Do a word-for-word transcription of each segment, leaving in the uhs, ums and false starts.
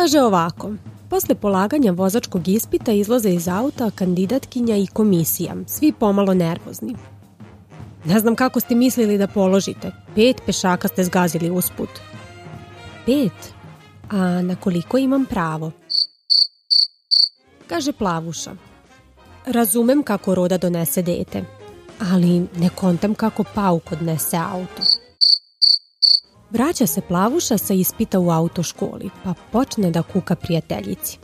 Kaže ovako: posle polaganja vozačkog ispita izlaze iz auta kandidatkinja i komisija, svi pomalo nervozni. Ne znam kako ste mislili da položite. Pet pešaka ste zgazili usput. Pet? A na koliko imam pravo? Kaže Plavuša: razumem kako roda donese dete, ali ne kontam kako pauk odnese auto. Vraća se Plavuša sa ispita u autoškoli, pa počne da kuka prijateljici.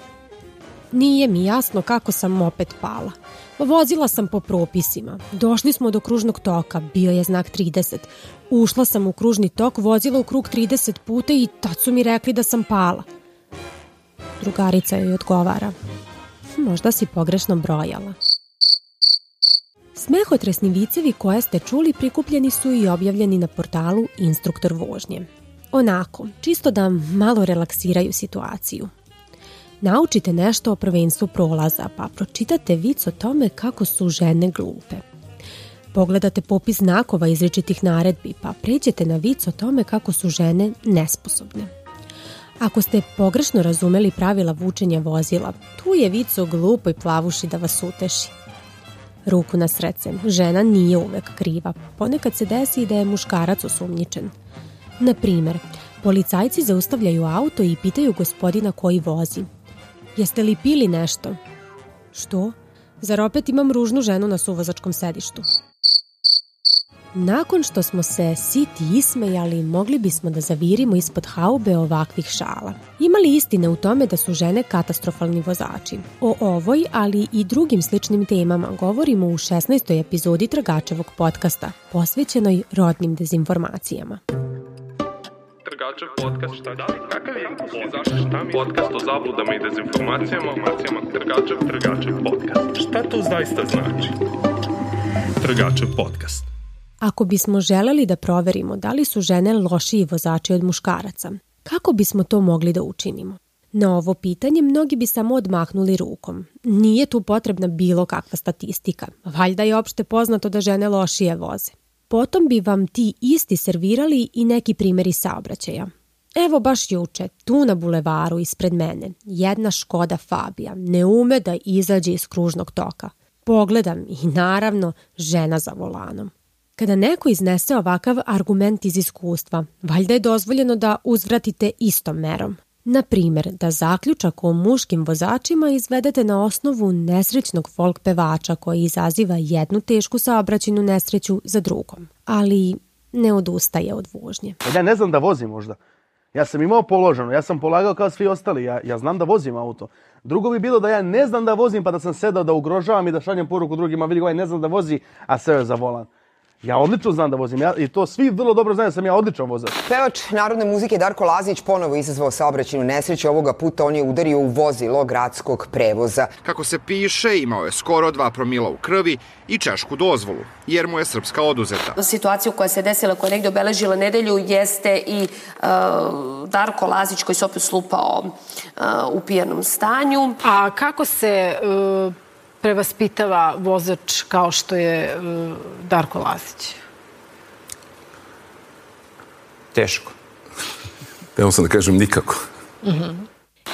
Nije mi jasno kako sam opet pala. Vozila sam po propisima. Došli smo do kružnog toka, bio je znak trideset. Ušla sam u kružni tok, vozila u krug trideset puta i tad su mi rekli da sam pala. Drugarica joj odgovara: možda si pogrešno brojala. Smehotresni vicevi koje ste čuli prikupljeni su i objavljeni na portalu Instruktor vožnje. Onako, čisto da malo relaksiraju situaciju. Naučite nešto o prvenstvu prolaza, pa pročitate vic o tome kako su žene glupe. Pogledate popis znakova izričitih naredbi, pa pređete na vic o tome kako su žene nesposobne. Ako ste pogrešno razumeli pravila vučenja vozila, tu je vic o glupoj Plavuši da vas uteši. Ruku na srce, žena nije uvek kriva. Ponekad se desi da je muškarac osumnjičen. Na primer, policajci zaustavljaju auto i pitaju gospodina koji vozi: jeste li pili nešto? Što? Zar opet imam ružnu ženu na suvozačkom sedištu? Nakon što smo se siti ismejali, mogli bismo da zavirimo ispod haube ovakvih šala. Ima li istine u tome da su žene katastrofalni vozači? O ovoj, ali i drugim sličnim temama govorimo u šesnaestoj epizodi Tragačevog podcasta, posvećenoj rodnim dezinformacijama. Tragačev podcast, šta da? Kakav je? Zašto šta mi? Podcast o zabludama i dezinformacijama. Tragačev, Tragačev podcast. Šta to zaista znači? Tragačev podcast. Ako bismo želeli da proverimo da li su žene lošiji vozači od muškaraca, kako bismo to mogli da učinimo? Na ovo pitanje mnogi bi samo odmahnuli rukom. Nije tu potrebna bilo kakva statistika. Valjda je opšte poznato da žene lošije voze. Potom bi vam ti isti servirali i neki primjeri saobraćaja. Evo baš juče, tu na bulevaru ispred mene, jedna Škoda Fabija ne ume da izađe iz kružnog toka. Pogledam i naravno žena za volanom. Kada neko iznese ovakav argument iz iskustva, valjda je dozvoljeno da uzvratite istom merom. Na primjer, da zaključak o muškim vozačima izvedete na osnovu nesrećnog folk pevača koji izaziva jednu tešku saobraćajnu nesreću za drugom, ali ne odustaje od vožnje. Ja ne znam da vozim možda. Ja sam imao položeno, ja sam polagao kao svi ostali, ja, ja znam da vozim auto. Drugo bi bilo da ja ne znam da vozim pa da sam sedao da ugrožavam i da šaljem poruku drugima, vidi ovaj ne znam da vozi, a seo je za volan. Ja odlično znam da vozim ja, i to svi vrlo dobro znaju da sam ja odličan vozač. Pevač narodne muzike Darko Lazić ponovo izazvao saobraćajnu nesreću. Ovoga puta on je udario u vozilo gradskog prevoza. Kako se piše, imao je skoro dva promila u krvi i češku dozvolu, jer mu je srpska oduzeta. Situaciju koja se desila, koja je negdje obeležila nedelju, jeste i uh, Darko Lazić koji se opet slupao uh, u pijanom stanju. A kako se Uh... prevaspitava vozač kao što je uh, Darko Lazić? Teško. Evo sam da kažem nikako. Uh-huh.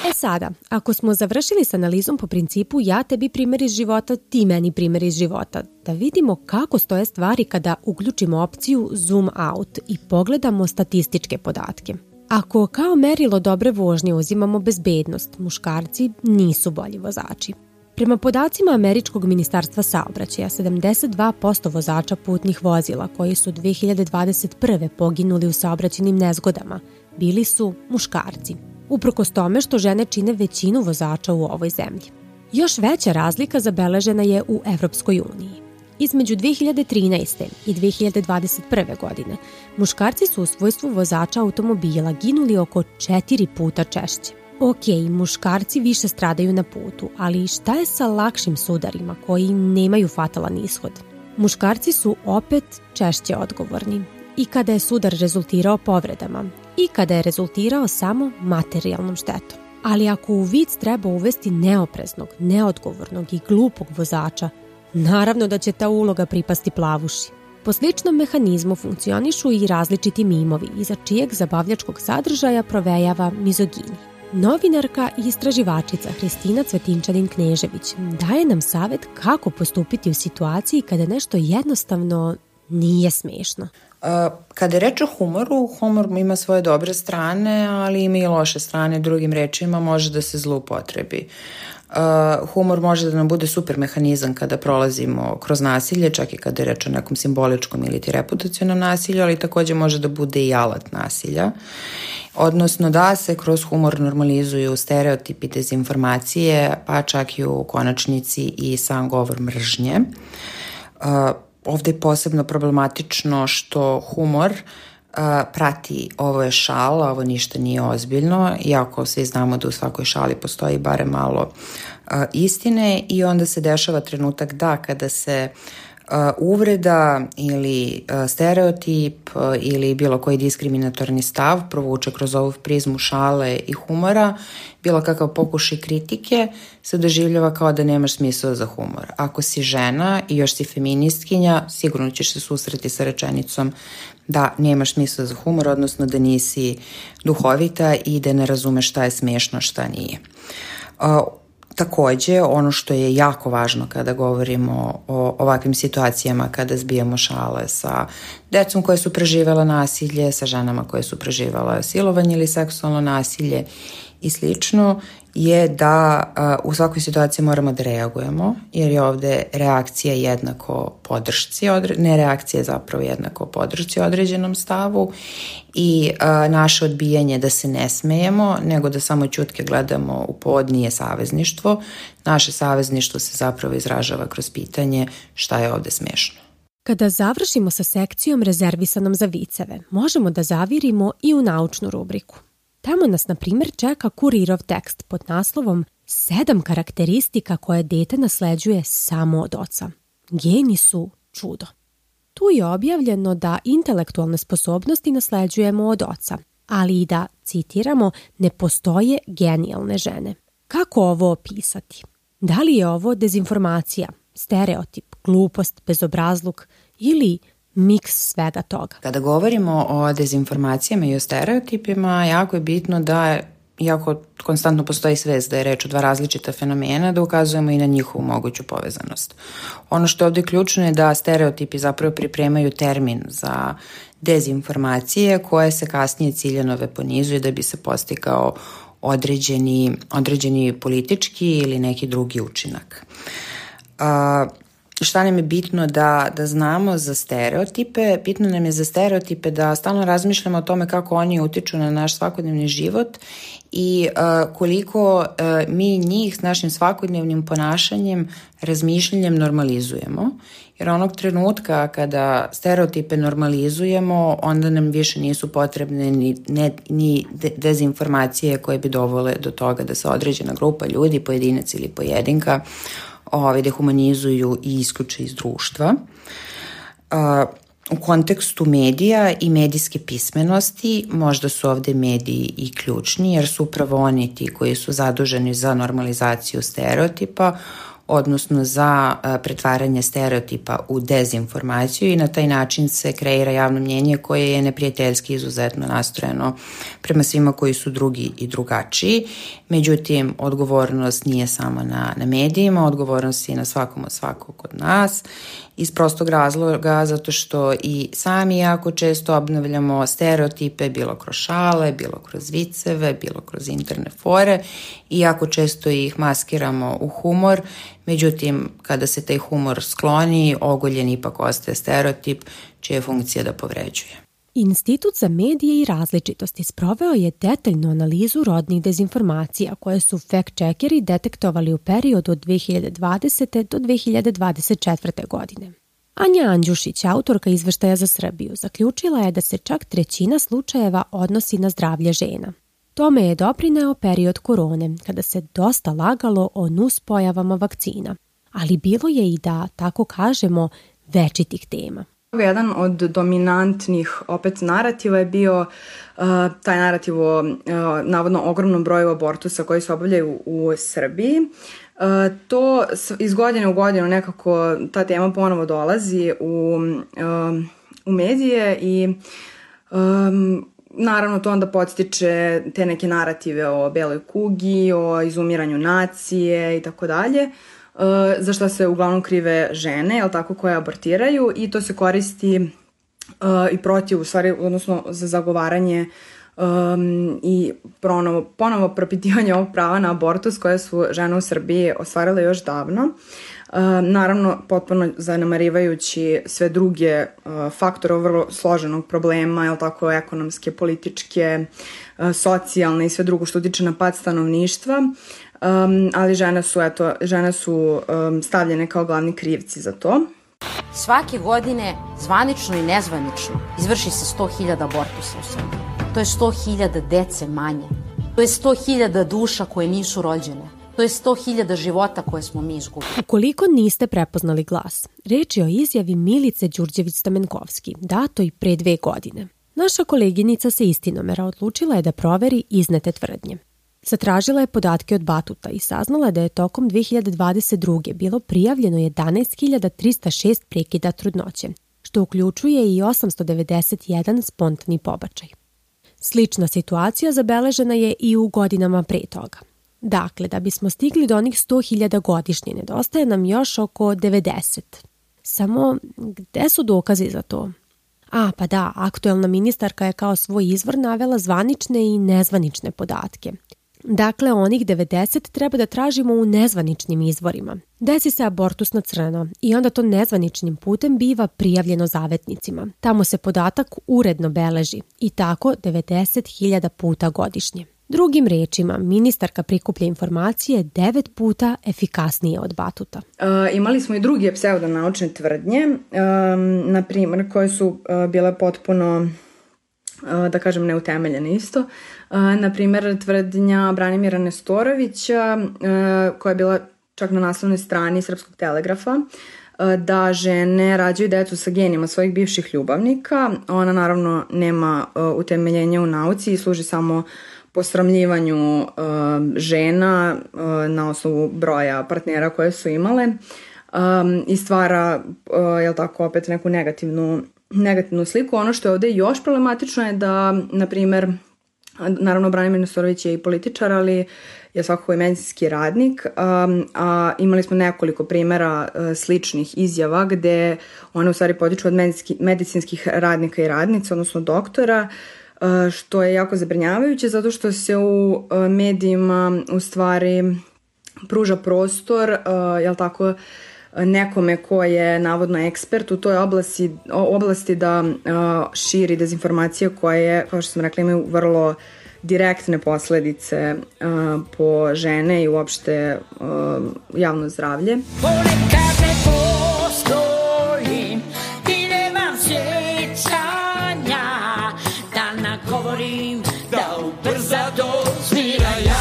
E sada, ako smo završili s analizom po principu ja tebi primjer iz života, ti meni primjer iz života, da vidimo kako stoje stvari kada uključimo opciju zoom out i pogledamo statističke podatke. Ako kao merilo dobre vožnje uzimamo bezbednost, muškarci nisu bolji vozači. Prema podacima Američkog ministarstva saobraćaja, sedamdeset dva posto vozača putnih vozila koji su dve hiljade dvadeset prve poginuli u saobraćajnim nezgodama bili su muškarci, uprkos tome što žene čine većinu vozača u ovoj zemlji. Još veća razlika zabeležena je u Evropskoj uniji. Između dve hiljade trinaeste. i dve hiljade dvadeset prve. godine muškarci su u svojstvu vozača automobila ginuli oko četiri puta češće. Ok, muškarci više stradaju na putu, ali šta je sa lakšim sudarima koji nemaju fatalan ishod? Muškarci su opet češće odgovorni. I kada je sudar rezultirao povredama, i kada je rezultirao samo materijalnom štetom. Ali ako u vic treba uvesti neopreznog, neodgovornog i glupog vozača, naravno da će ta uloga pripasti Plavuši. Po sličnom mehanizmu funkcionišu i različiti mimovi, iza čijeg zabavljačkog sadržaja provejava mizogini. Novinarka i istraživačica Hristina Cvetinčanin-Knežević daje nam savjet kako postupiti u situaciji kada nešto jednostavno nije smiješno. Kada je reč o humoru, humor ima svoje dobre strane, ali ima i loše strane, drugim rečima može da se zloupotrebi. Uh, humor može da nam bude super mehanizam kada prolazimo kroz nasilje, čak i kada je reč o nekom simboličkom ili ti reputacionom nasilju, ali također može da bude i alat nasilja. Odnosno da se kroz humor normalizuju stereotipi, dezinformacije, pa čak i u konačnici i sam govor mržnje. Uh, ovdje je posebno problematično što humor Uh, prati ovo je šala, ovo ništa nije ozbiljno, iako svi znamo da u svakoj šali postoji bare malo uh, istine i onda se dešava trenutak da kada se uh, uvreda ili uh, stereotip uh, ili bilo koji diskriminatorni stav provuče kroz ovu prizmu šale i humora, bilo kakav pokušaj kritike se doživljava kao da nemaš smisla za humor. Ako si žena i još si feministkinja, sigurno ćeš se susreti sa rečenicom da nemaš smisla za humor, odnosno da nisi duhovita i da ne razumeš šta je smiješno, šta nije. Uh, također, ono što je jako važno kada govorimo o ovakvim situacijama, kada zbijamo šale sa decom koje su preživjela nasilje, sa ženama koje su preživjela silovanje ili seksualno nasilje i slično, je da uh, u svakoj situaciji moramo da reagujemo, jer je ovdje reakcija jednako podršci, odre... ne reakcija je zapravo jednako podršci određenom stavu i uh, naše odbijanje da se ne smejemo, nego da samo ćutke gledamo u pod nije savezništvo. Naše savezništvo se zapravo izražava kroz pitanje šta je ovdje smiješno. Kada završimo sa sekcijom rezervisanom za viceve, možemo da zavirimo i u naučnu rubriku. Tamo nas, na primjer, čeka kurirov tekst pod naslovom Sedam karakteristika koje dete nasleđuje samo od oca. Geni su čudo. Tu je objavljeno da intelektualne sposobnosti nasleđujemo od oca, ali i da, citiramo, ne postoje genijalne žene. Kako ovo opisati? Da li je ovo dezinformacija, stereotip, glupost, bezobrazluk ili miks svega toga? Kada govorimo o dezinformacijama i o stereotipima, jako je bitno da, iako konstantno postoji svest da je reč o dva različita fenomena, da ukazujemo i na njihovu moguću povezanost. Ono što je ovdje ključno je da stereotipi zapravo pripremaju termin za dezinformacije koje se kasnije ciljano weaponizuje da bi se postigao određeni, određeni politički ili neki drugi učinak. A, Šta nam je bitno da, da znamo za stereotipe? Bitno nam je za stereotipe da stalno razmišljamo o tome kako oni utiču na naš svakodnevni život i uh, koliko uh, mi njih s našim svakodnevnim ponašanjem, razmišljanjem normalizujemo. Jer onog trenutka kada stereotipe normalizujemo, onda nam više nisu potrebne ni, ne, ni dezinformacije koje bi dovele do toga da se određena grupa ljudi, pojedinac ili pojedinka, Ove, dehumanizuju i isključe iz društva. Uh, u kontekstu medija i medijske pismenosti možda su ovdje mediji i ključni, jer su upravo oni ti koji su zaduženi za normalizaciju stereotipa, odnosno za uh, pretvaranje stereotipa u dezinformaciju i na taj način se kreira javno mnjenje koje je neprijateljski izuzetno nastrojeno prema svima koji su drugi i drugačiji. Međutim, odgovornost nije samo na, na medijima, odgovornost je na svakom od svakog od nas iz prostog razloga zato što i sami jako često obnavljamo stereotipe bilo kroz šale, bilo kroz viceve, bilo kroz interne fore i jako često ih maskiramo u humor. Međutim, kada se taj humor skloni, ogoljen ipak ostaje stereotip čija je funkcija da povređuje. Institut za medije i različitosti sproveo je detaljnu analizu rodnih dezinformacija koje su fact-checkeri detektovali u periodu od dve hiljade dvadesete do dve hiljade dvadeset četvrte. godine. Anja Andjušić, autorka izveštaja za Srbiju, zaključila je da se čak trećina slučajeva odnosi na zdravlje žena. Tome je doprineo period korone, kada se dosta lagalo o nuspojavama vakcina, ali bilo je i da, tako kažemo, večitih tema. Jedan od dominantnih opet narativa je bio uh, taj narativ o uh, navodno ogromnom broju abortusa koji se obavljaju u Srbiji. Uh, to iz godine u godinu nekako ta tema ponovo dolazi u, uh, u medije i um, naravno to onda podstiče te neke narative o beloj kugi, o izumiranju nacije i tako dalje, za što se uglavnom krive žene, jel tako, koje abortiraju, i to se koristi uh, i protiv, u stvari, odnosno za zagovaranje um, i ponovo, ponovo propitivanje ovog prava na abortus koje su žene u Srbiji ostvarile još davno. Uh, naravno, potpuno zanemarivajući sve druge uh, faktore vrlo složenog problema, jel tako, ekonomske, političke, uh, socijalne i sve drugo što utiče na pad stanovništva. Um, ali žene su, eto, žene su um, stavljene kao glavni krivci za to. Svake godine, zvanično i nezvanično, izvrši se sto hiljada abortusa u Srbiji. To je sto hiljada dece manje. To je sto hiljada duša koje nisu rođene. To je sto hiljada života koje smo mi izgubili. Ukoliko niste prepoznali glas, reč je o izjavi Milice Đurđević-Stamenkovski, dato i pre dve godine. Naša koleginica sa Istinomera odlučila je da proveri iznete tvrdnje. Zatražila je podatke od Batuta i saznala da je tokom dve hiljade dvadeset druge bilo prijavljeno jedanaest hiljada trista šest prekida trudnoće, što uključuje i osamsto devedeset jedan spontani pobačaj. Slična situacija zabeležena je i u godinama pre toga. Dakle, da bismo stigli do onih sto hiljada godišnje, nedostaje nam još oko devedeset. Samo, gde su dokazi za to? A, pa da, aktuelna ministarka je kao svoj izvor navela zvanične i nezvanične podatke. Dakle, onih devedeset treba da tražimo u nezvaničnim izvorima. Desi se abortus na crno i onda to nezvaničnim putem biva prijavljeno zavetnicima. Tamo se podatak uredno beleži i tako devedeset hiljada puta godišnje. Drugim rečima, ministarka prikuplja informacije devet puta efikasnije od Batuta. E, imali smo i druge pseudonaučne tvrdnje, e, na primjer, koje su e, bile potpuno, e, da kažem, neutemeljene isto. E, na primjer, tvrdnja Branimira Nestorovića, e, koja je bila čak na naslovnoj strani Srpskog telegrafa, e, da žene rađaju decu sa genima svojih bivših ljubavnika. Ona naravno nema e, utemeljenja u nauci i služi samo posramljivanju uh, žena uh, na osnovu broja partnera koje su imale um, i stvara, uh, jel tako, opet neku negativnu, negativnu sliku. Ono što je ovde još problematično je da, na primer, naravno Branimir Nestorović je i političar, ali je svakako i medicinski radnik, um, a imali smo nekoliko primjera uh, sličnih izjava gde one u stvari potiču od medicinski, medicinskih radnika i radnica, odnosno doktora, što je jako zabrinjavajuće zato što se u medijima u stvari pruža prostor, jel tako, nekome ko je navodno ekspert u toj oblasti, oblasti da širi dezinformacije koje, kao što sam rekla, imaju vrlo direktne posledice po žene i uopšte javno zdravlje. Ponekad ne postojim i nemam sjećanja da nagovorim da ubrza do smiraja.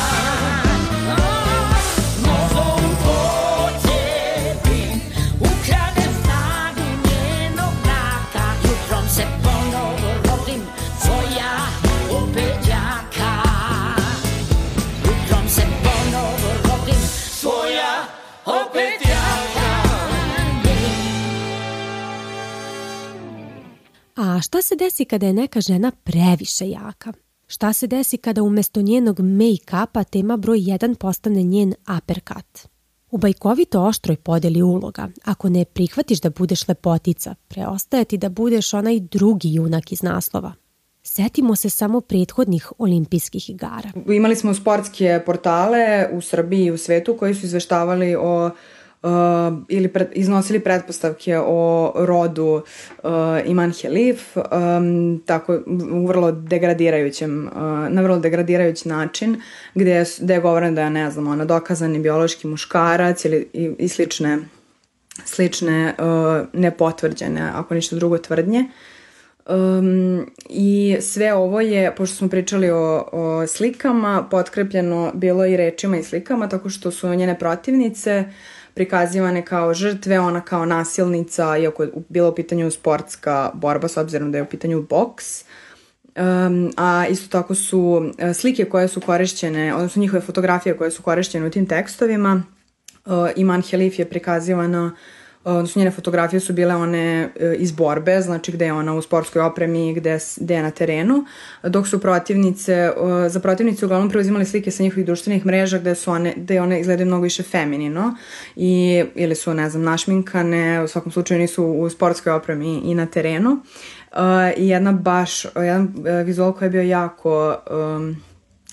A šta se desi kada je neka žena previše jaka? Šta se desi kada umjesto njenog make-upa tema broj jedan postane njen uppercut? U bajkovito oštroj podeli uloga, ako ne prihvatiš da budeš lepotica, preostaje ti da budeš onaj drugi junak iz naslova. Setimo se samo prethodnih olimpijskih igara. Imali smo sportske portale u Srbiji i u svetu koji su izveštavali o Uh, ili pred, iznosili pretpostavke o rodu uh, Iman Helif, um, tako u vrlo degradirajućem, uh, na vrlo degradirajući način, gde je, gde je govoreno da je, ne znam, ona dokazani biološki muškarac ili i, i slične, slične uh, nepotvrđene, ako ništa drugo, tvrdnje. Um, I sve ovo je, pošto smo pričali o, o slikama, potkrepljeno bilo i rečima i slikama, tako što su njene protivnice prikazivane kao žrtve, ona kao nasilnica, iako je bila u pitanju sportska borba, s obzirom da je u pitanju boks. Um, a isto tako su slike koje su korišćene, odnosno njihove fotografije koje su korišćene u tim tekstovima. Uh, Iman Helif je prikazivana odnosno njene fotografije su bile one iz borbe, znači gde je ona u sportskoj opremi, gde, gde je na terenu, dok su protivnice, za protivnice uglavnom preuzimali slike sa njihovih društvenih mreža gde su one, gde one izgledaju mnogo više feminino i, ili su, ne znam, našminkane, u svakom slučaju nisu u sportskoj opremi i na terenu. Uh, I jedna baš, jedan uh, vizual koji je bio jako um,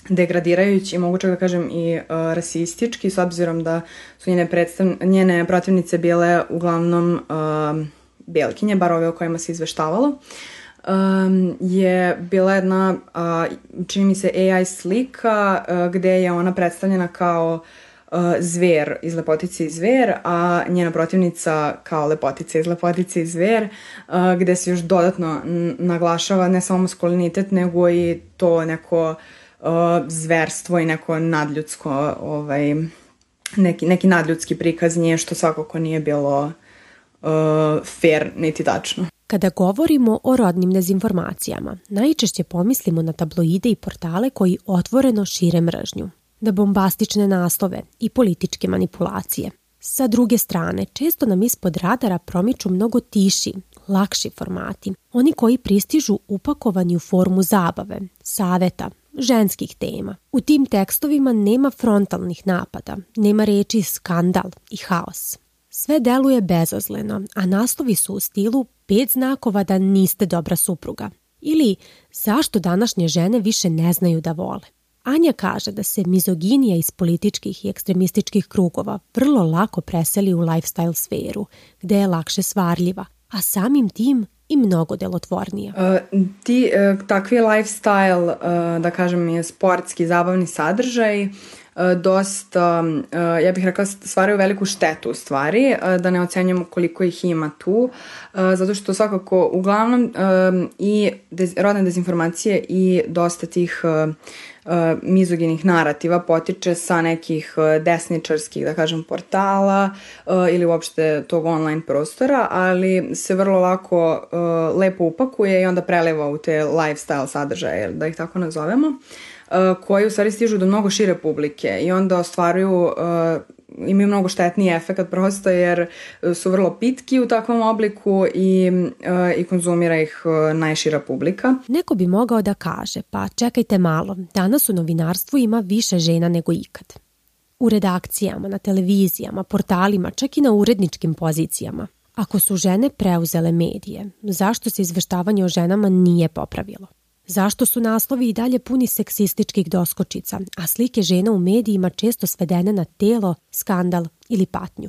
degradirajući i mogu čak da kažem i uh, rasistički, s obzirom da su njene, predstav... njene protivnice bile uglavnom uh, belkinje, bar ove o kojima se izveštavalo, um, je bila jedna, uh, čini mi se, A I slika uh, gde je ona predstavljena kao uh, zver iz Lepotice i zver, a njena protivnica kao Lepotica iz Lepotice i zver, uh, gde se još dodatno n- naglašava ne samo maskulinitet, nego i to neko uh, zverstvo i neko nadljudsko, ovaj, neki, neki nadljudski prikaz nje, što svakako nije bilo uh, fair niti tačno. Kada govorimo o rodnim dezinformacijama, najčešće pomislimo na tabloide i portale koji otvoreno šire mržnju, na bombastične naslove i političke manipulacije. Sa druge strane, često nam ispod radara promiču mnogo tiši, lakši formati, oni koji pristižu upakovani u formu zabave, saveta, ženskih tema. U tim tekstovima nema frontalnih napada, nema reči skandal i haos. Sve deluje bezazleno, a naslovi su u stilu pet znakova da niste dobra supruga ili zašto današnje žene više ne znaju da vole. Anja kaže da se mizoginija iz političkih i ekstremističkih krugova vrlo lako preseli u lifestyle sferu, gde je lakše svarljiva, a samim tim i mnogo delotvornija. Uh, ti uh, takvi lifestyle, uh, da kažem, je sportski, zabavni sadržaj, dosta, ja bih rekla, stvaraju veliku štetu u stvari, da ne ocenjujemo koliko ih ima tu, zato što svakako uglavnom i rodne dezinformacije i dosta tih mizoginih narativa potiče sa nekih desničarskih, da kažem, portala ili uopšte tog online prostora, ali se vrlo lako lepo upakuje i onda preleva u te lifestyle sadržaje, da ih tako nazovemo, koji u stvari stižu do mnogo šire publike i onda ostvaruju, uh, imaju mnogo štetniji efekt prosto jer su vrlo pitki u takvom obliku i, uh, i konzumira ih uh, najšira publika. Neko bi mogao da kaže, pa čekajte malo, danas u novinarstvu ima više žena nego ikad. U redakcijama, na televizijama, portalima, čak i na uredničkim pozicijama. Ako su žene preuzele medije, zašto se izveštavanje o ženama nije popravilo? Zašto su naslovi i dalje puni seksističkih doskočica, a slike žena u medijima često svedene na telo, skandal ili patnju?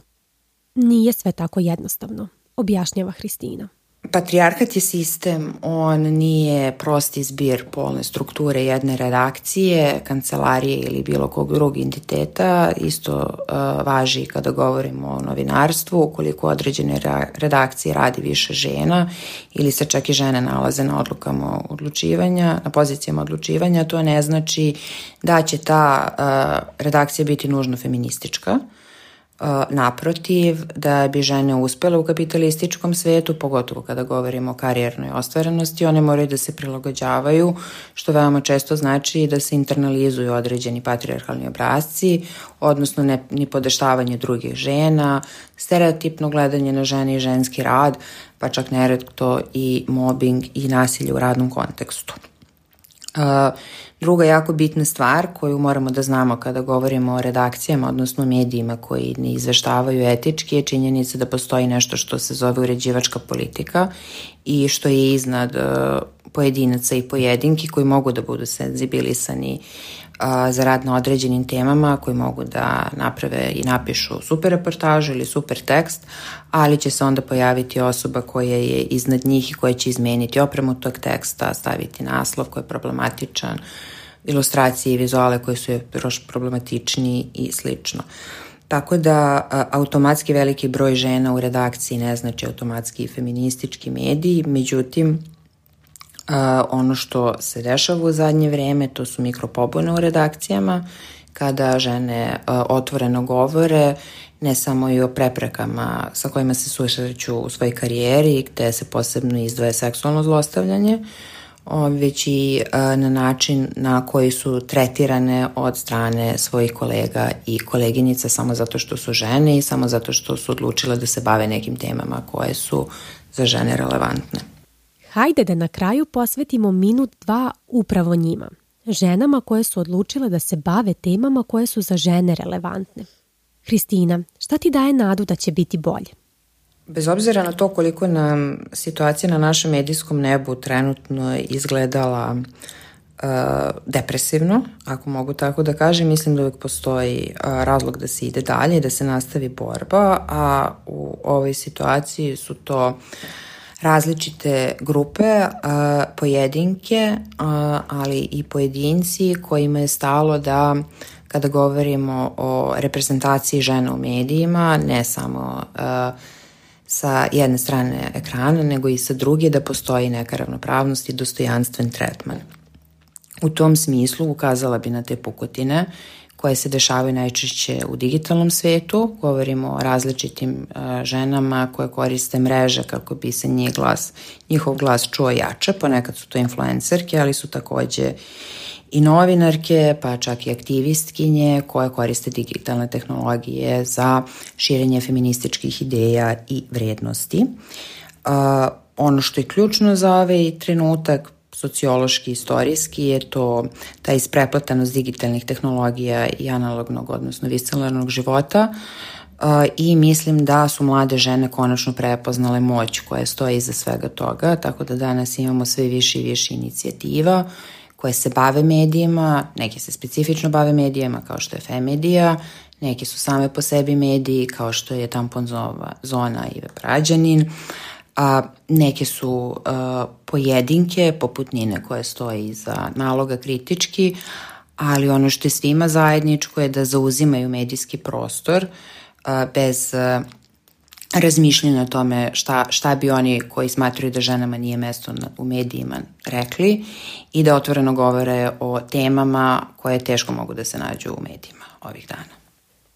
Nije sve tako jednostavno, objašnjava Hristina. Patrijarhat je sistem, on nije prosti zbir polne strukture jedne redakcije, kancelarije ili bilo kog drugog entiteta. Isto uh, važi kada govorimo o novinarstvu, ukoliko određene redakcije radi više žena ili se čak i žene nalaze na odlukama odlučivanja, na pozicijama odlučivanja, to ne znači da će ta uh, redakcija biti nužno feministička. Naprotiv, da bi žene uspele u kapitalističkom svetu, pogotovo kada govorimo o karijernoj ostvarenosti, one moraju da se prilagođavaju, što veoma često znači da se internalizuju određeni patrijarhalni obrasci, odnosno ne, ni podeštavanje drugih žena, stereotipno gledanje na žene i ženski rad, pa čak neretko i mobbing i nasilje u radnom kontekstu. Uh, druga jako bitna stvar koju moramo da znamo kada govorimo o redakcijama, odnosno medijima koji ne izveštavaju etički, je činjenica da postoji nešto što se zove uređivačka politika i što je iznad uh, pojedinaca i pojedinki koji mogu da budu senzibilisani uh, za rad na određenim temama, koji mogu da naprave i napišu super reportažu ili super tekst, ali će se onda pojaviti osoba koja je iznad njih i koja će izmeniti opremu tog teksta, staviti naslov koji je problematičan, ilustracije i vizuale koji su još problematičniji i slično. Tako da a, automatski veliki broj žena u redakciji ne znači automatski feministički mediji, međutim a, ono što se dešava u zadnje vreme to su mikropobune u redakcijama, kada žene a, otvoreno govore ne samo i o preprekama sa kojima se susreću u svojoj karijeri, gde se posebno izdvaja seksualno zlostavljanje, već i na način na koji su tretirane od strane svojih kolega i koleginica samo zato što su žene i samo zato što su odlučile da se bave nekim temama koje su za žene relevantne. Hajde da na kraju posvetimo minut, dva upravo njima. Ženama koje su odlučile da se bave temama koje su za žene relevantne. Hristina, šta ti daje nadu da će biti bolje? Bez obzira na to koliko nam situacija na našem medijskom nebu trenutno izgledala uh, depresivno, ako mogu tako da kažem, mislim da uvijek postoji uh, razlog da se ide dalje i da se nastavi borba, a u ovoj situaciji su to različite grupe, uh, pojedinke, uh, ali i pojedinci kojima je stalo da kada govorimo o reprezentaciji žena u medijima, ne samo uh, sa jedne strane ekrana, nego i sa druge, da postoji neka ravnopravnost i dostojanstven tretman. U tom smislu ukazala bi na te pukotine koje se dešavaju najčešće u digitalnom svetu. Govorimo o različitim uh, ženama koje koriste mreže kako bi se njih glas, njihov glas čuo jače. Ponekad su to influencerke, ali su takođe i novinarke, pa čak i aktivistkinje koje koriste digitalne tehnologije za širenje feminističkih ideja i vrednosti. Uh, ono što je ključno za ovaj trenutak, sociološki, istorijski, je to ta ispreplatanost digitalnih tehnologija i analognog, odnosno viscelarnog života. Uh, I mislim da su mlade žene konačno prepoznale moć koja stoji iza svega toga, tako da danas imamo sve više i više inicijativa koje se bave medijima, neke se specifično bave medijima kao što je Femedija, neke su same po sebi mediji kao što je Tampon zona i Web Rađanin, a neke su a, pojedinke poput Nine koje stoji iza naloga kritički, ali ono što je svima zajedničko je da zauzimaju medijski prostor a, bez a, razmišljanja o tome šta, šta bi oni koji smatraju da ženama nije mesto na, u medijima rekli i da otvoreno govore o temama koje teško mogu da se nađu u medijima ovih dana.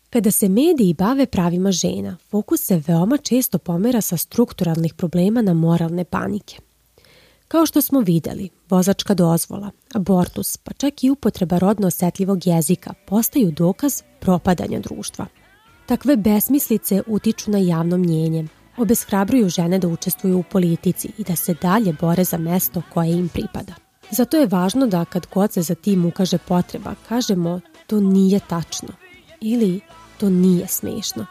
Kada se mediji bave pravima žena, fokus se veoma često pomera sa strukturalnih problema na moralne panike. Kao što smo videli, vozačka dozvola, abortus, pa čak i upotreba rodno osetljivog jezika postaju dokaz propadanja društva. Takve besmislice utiču na javno mnjenje, obeshrabruju žene da učestvuju u politici i da se dalje bore za mesto koje im pripada. Zato je važno da kad god se za tim ukaže potreba, kažemo to nije tačno ili to nije smešno.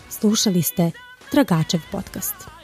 Slušali ste Tragačev podcast.